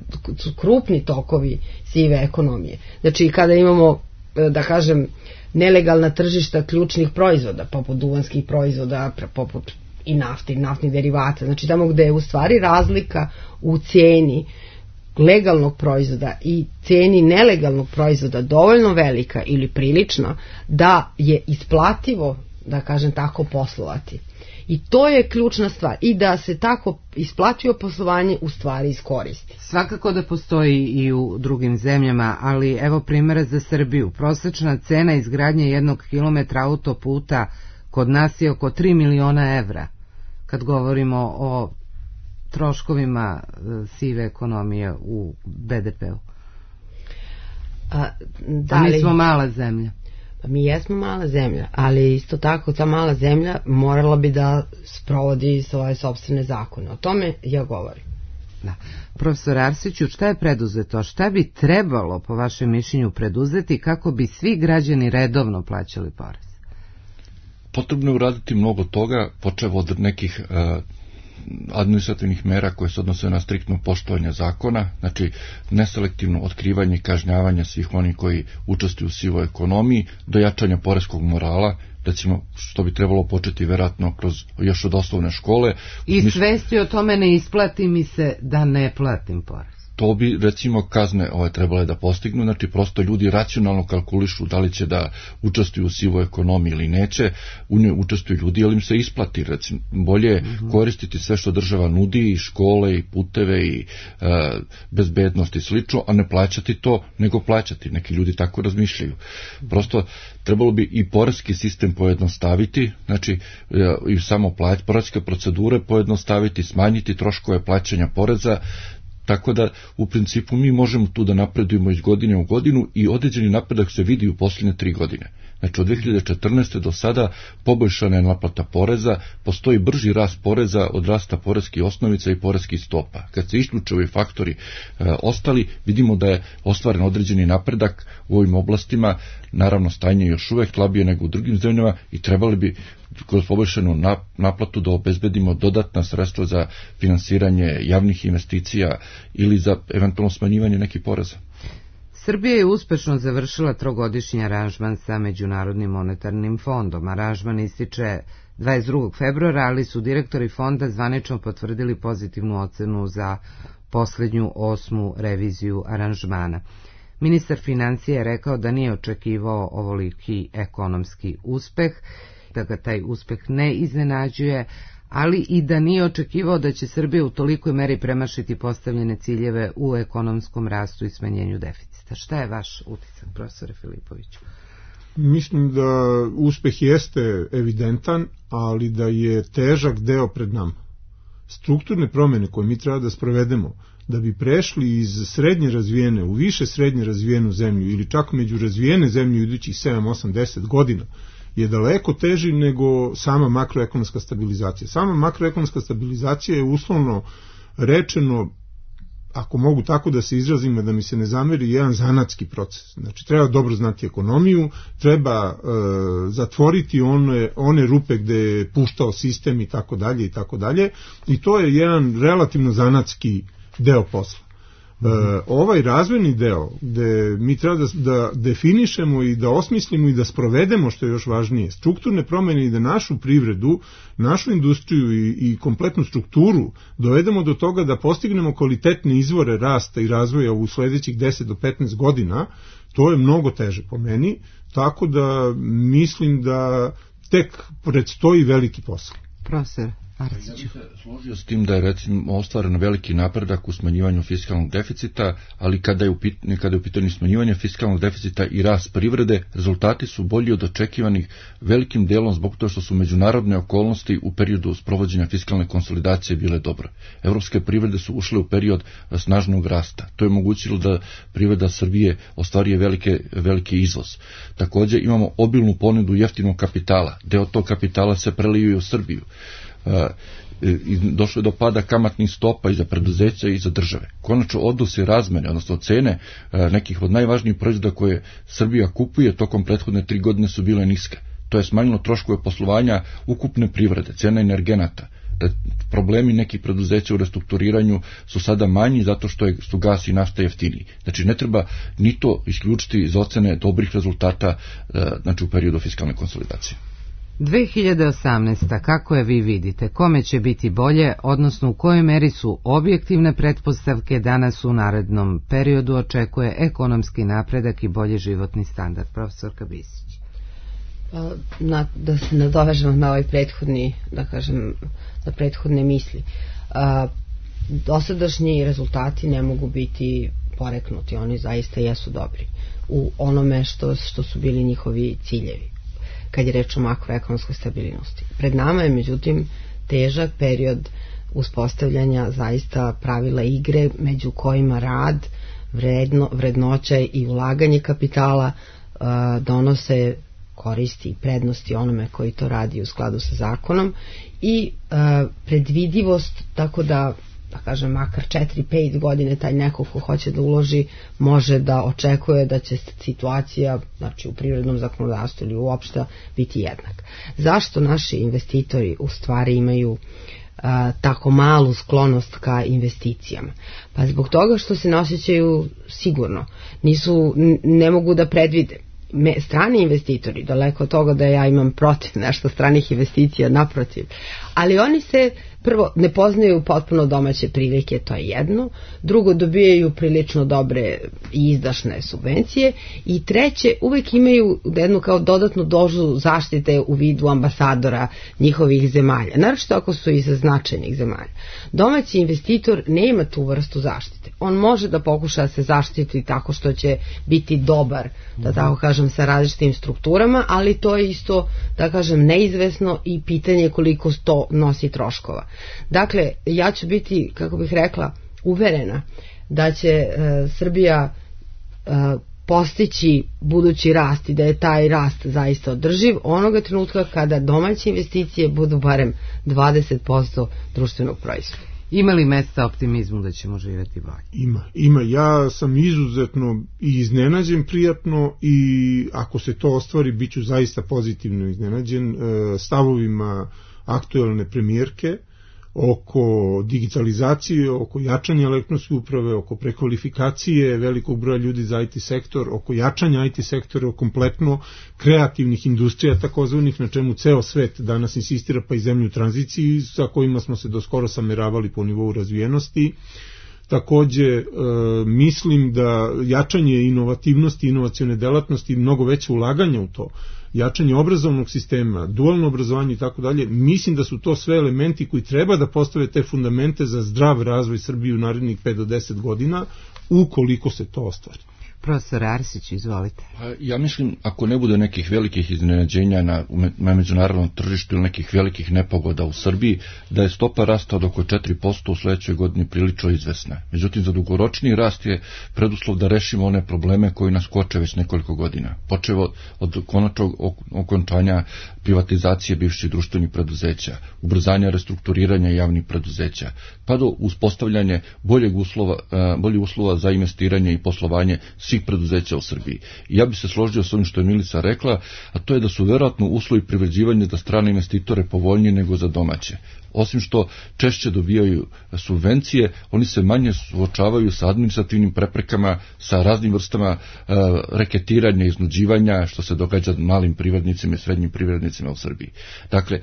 krupni tokovi sive ekonomije. Znači kada imamo, da kažem, nelegalna tržišta ključnih proizvoda, poput duvanskih proizvoda, poput i nafte i naftnih derivata, znači tamo gde je u stvari razlika u ceni legalnog proizvoda i ceni nelegalnog proizvoda dovoljno velika ili prilična da je isplativo, da kažem tako, poslovati. I to je ključna stvar. I da se tako isplativo poslovanje u stvari iskoristi. Svakako da postoji i u drugim zemljama, ali evo primjera za Srbiju. Prosečna cena izgradnje 1 kilometra autoputa kod nas je oko 3 miliona evra. Kad govorimo o troškovima sive ekonomije u BDP-u. A mi smo mala zemlja. Mi jesmo mala zemlja, ali isto tako ta mala zemlja morala bi da sprovodi svoje sopstvene zakone. O tome ja govorim. Da. Profesor Arsiću, šta je preduzeto? Šta bi trebalo, po vašem mišljenju, preduzeti kako bi svi građani redovno plaćali porez? Potrebno je uraditi mnogo toga, počev od nekih administrativnih mera koje se odnose na striktno poštovanje zakona, znači neselektivno otkrivanje i kažnjavanje svih onih koji učestvuju u sivoj ekonomiji, do jačanja poreskog morala, recimo što bi trebalo početi verovatno još od osnovne škole. I svesti o tome ne isplati mi se da ne platim porez. To bi, recimo, kazne trebale da postignu, znači prosto ljudi racionalno kalkulišu da li će da učestvuju u sivoj ekonomiji ili neće, u njoj učestvuju ljudi, ali im se isplati, recimo, bolje koristiti sve što država nudi, i škole, i puteve, i bezbednost i slično, a ne plaćati to, nego plaćati. Neki ljudi tako razmišljaju. Prosto, trebalo bi i poreski sistem pojednostaviti, znači i samo poreske procedure pojednostaviti, smanjiti troškove plaćanja poreza, tako da u principu mi možemo tu da napredujemo iz godine u godinu i određeni napredak se vidi u posljednje 3 godine. Znači od 2014. do sada poboljšana je naplata poreza, postoji brži rast poreza od rasta poreskih osnovica i poreskih stopa. Kad se isključe ovi faktori ostali, vidimo da je ostvaren određeni napredak u ovim oblastima, naravno stanje još uvek slabije nego u drugim zemljama i trebali bi kroz poboljšanu naplatu da obezbedimo dodatna sredstva za finansiranje javnih investicija ili za eventualno smanjivanje nekih poreza. Srbija je uspešno završila 3-godišnji aranžman sa Međunarodnim monetarnim fondom. Aranžman ističe 22. februara, ali su direktori fonda zvanično potvrdili pozitivnu ocenu za poslednju 8. reviziju aranžmana. Ministar financija je rekao da nije očekivao ovoliki ekonomski uspeh, da ga taj uspeh ne iznenađuje, ali i da nije očekivao da će Srbija u tolikoj meri premašiti postavljene ciljeve u ekonomskom rastu i smanjenju deficita. Šta je vaš utisak, profesore Filipoviću? Mislim da uspeh jeste evidentan, ali da je težak deo pred nama. Strukturne promjene koje mi treba da sprovedemo, da bi prešli iz srednje razvijene u više srednje razvijenu zemlju ili čak među razvijene zemlje u idućih 7, 8, 10 godina, je daleko teži nego sama makroekonomska stabilizacija. Sama makroekonomska stabilizacija je uslovno rečeno ako mogu tako da se izrazim, da mi se ne zameri, jedan zanatski proces. Znači, treba dobro znati ekonomiju, treba zatvoriti one rupe gde je puštao sistem i tako dalje i tako dalje, i to je jedan relativno zanatski deo posla. Ovaj razvojni deo gde mi treba da definišemo i da osmislimo i da sprovedemo, što je još važnije, strukturne promene i da našu privredu, našu industriju i kompletnu strukturu dovedemo do toga da postignemo kvalitetne izvore rasta i razvoja u sledećih 10 do 15 godina, to je mnogo teže po meni, tako da mislim da tek predstoji veliki posao. Profesor Arciću. Ja bih se složio s tim da je recimo ostvaren veliki napredak u smanjivanju fiskalnog deficita, ali kada je u pitanju smanjivanje fiskalnog deficita i rast privrede, rezultati su bolji od očekivanih velikim delom zbog toga što su međunarodne okolnosti u periodu sprovođenja fiskalne konsolidacije bile dobre. Evropske privrede su ušle u period snažnog rasta. To je omogućilo da privreda Srbije ostvarije veliki izvoz. Također imamo obilnu ponudu jeftinog kapitala. Deo tog kapitala se prelio u Srbiju. Došlo je do pada kamatnih stopa i za preduzeća i za države. Konačno odnosi razmene, odnosno cene nekih od najvažnijih proizvoda koje Srbija kupuje tokom prethodne 3 godine su bile niske. To je smanjilo troškove poslovanja ukupne privrede, cena energenata. Problemi nekih preduzeća u restrukturiranju su sada manji zato što su gas i nafta jeftiniji. Znači ne treba ni to isključiti iz ocene dobrih rezultata znači u periodu fiskalne konsolidacije. 2018. kako je vi vidite, kome će biti bolje, odnosno u kojoj meri su objektivne pretpostavke da nas u narednom periodu očekuje ekonomski napredak i bolji životni standard? Profesorka Bisić. Da se nadovežemo na ovaj prethodni, da kažem, na prethodne misli. Dosadašnji rezultati ne mogu biti poreknuti, oni zaista jesu dobri u onome što su bili njihovi ciljevi kad je reč o makroekonomskoj stabilnosti. Pred nama je međutim težak period uspostavljanja zaista pravila igre među kojima rad, vrednoća i ulaganje kapitala donose koristi i prednosti onome koji to radi u skladu sa zakonom i predvidivost, tako da kažem makar 4-5 godine taj neko ko hoće da uloži može da očekuje da će situacija, znači u privrednom zakonodavstvu ili uopšte biti jednak. Zašto naši investitori u stvari imaju tako malu sklonost ka investicijama? Pa zbog toga što se ne osjećaju sigurno, ne mogu da predvide. Strani investitori, daleko od toga da ja imam protiv nešto stranih investicija, naprotiv, ali oni se prvo ne poznaju potpuno domaće prilike, to je jedno, drugo dobijaju prilično dobre i izdašne subvencije i treće uvek imaju jednu kao dodatnu dozu zaštite u vidu ambasadora njihovih zemalja, naročito ako su iz značajnih zemalja. Domaći investitor nema tu vrstu zaštite. On može da pokuša da se zaštiti tako što će biti dobar, da tako kažem, sa različitim strukturama, ali to je isto, da kažem, neizvesno i pitanje koliko to nosi troškova. Dakle, ja ću biti, kako bih rekla, uverena da će Srbija postići budući rast i da je taj rast zaista održiv onoga trenutka kada domaće investicije budu barem 20% društvenog proizvoda. Ima li mesta optimizmu da ćemo živjeti bolje? Ima. Ja sam izuzetno i iznenađen prijatno i ako se to ostvari bit ću zaista pozitivno iznenađen stavovima aktuelne premijerke oko digitalizacije, oko jačanja elektronske uprave, oko prekvalifikacije velikog broja ljudi za IT sektor, oko jačanja IT sektora, kompletno kreativnih industrija takozvanih, na čemu ceo svet danas insistira, pa i zemlju u tranziciji sa kojima smo se doskoro sameravali po nivou razvijenosti. Takođe, mislim da jačanje inovativnosti, inovacione delatnosti i mnogo veće ulaganja u to, jačanje obrazovnog sistema, dualno obrazovanje i tako dalje, mislim da su to sve elementi koji treba da postave te fundamente za zdrav razvoj Srbije u narednih 5 do 10 godina, ukoliko se to ostvari. Profesor Arsić, izvolite. Ja mislim, ako ne bude nekih velikih iznenađenja na međunarodnom tržištu ili nekih velikih nepogoda u Srbiji, da je stopa rasta od oko 4% u sledećoj godini prilično izvesna. Međutim, za dugoročni rast je preduslov da rešimo one probleme koji nas koče već nekoliko godina. Počevo od konačnog okončanja privatizacije bivših društvenih preduzeća, ubrzanja restrukturiranja javnih preduzeća, pa do uspostavljanja boljih uslova za investiranje i poslovanje svih preduzeća u Srbiji. I ja bih se složio s onim što je Milica rekla, a to je da su verovatno uslovi privređivanja za strane investitore povoljniji nego za domaće. Osim što češće dobijaju subvencije, oni se manje suočavaju sa administrativnim preprekama, sa raznim vrstama reketiranja, iznuđivanja, što se događa malim privrednicima i srednjim privrednicima u Srbiji. Dakle,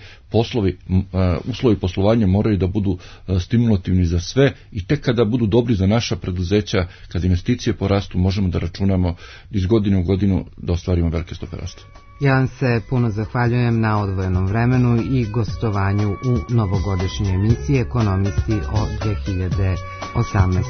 uslovi poslovanja moraju da budu stimulativni za sve i tek kada budu dobri za naša preduzeća, kad investicije porastu, možemo da računamo iz godine u godinu da ostvarimo velike stope rasta. Ja vam se puno zahvaljujem na odvojenom vremenu i gostovanju u novogodišnjoj emisiji Ekonomisti o 2018.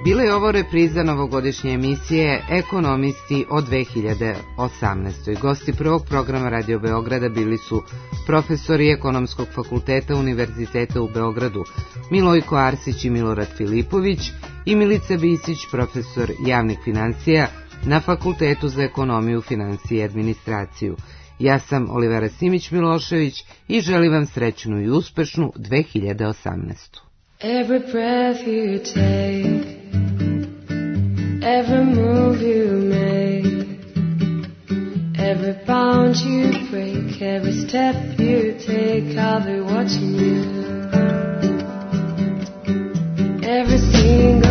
Bila je ovo repriza novogodišnje emisije Ekonomisti o 2018. Gosti prvog programa Radio Beograda bili su profesori Ekonomskog fakulteta Univerziteta u Beogradu Milojko Arsić i Milorad Filipović i Milica Bisić, profesor javnih financija na Fakultetu za ekonomiju, financije i administraciju. Ja sam Olivera Simić-Milošević i želim vam srećnu i uspešnu 2018. Every breath you take, every move you make, every bound you break, every step you take, I'll be watching you. Every single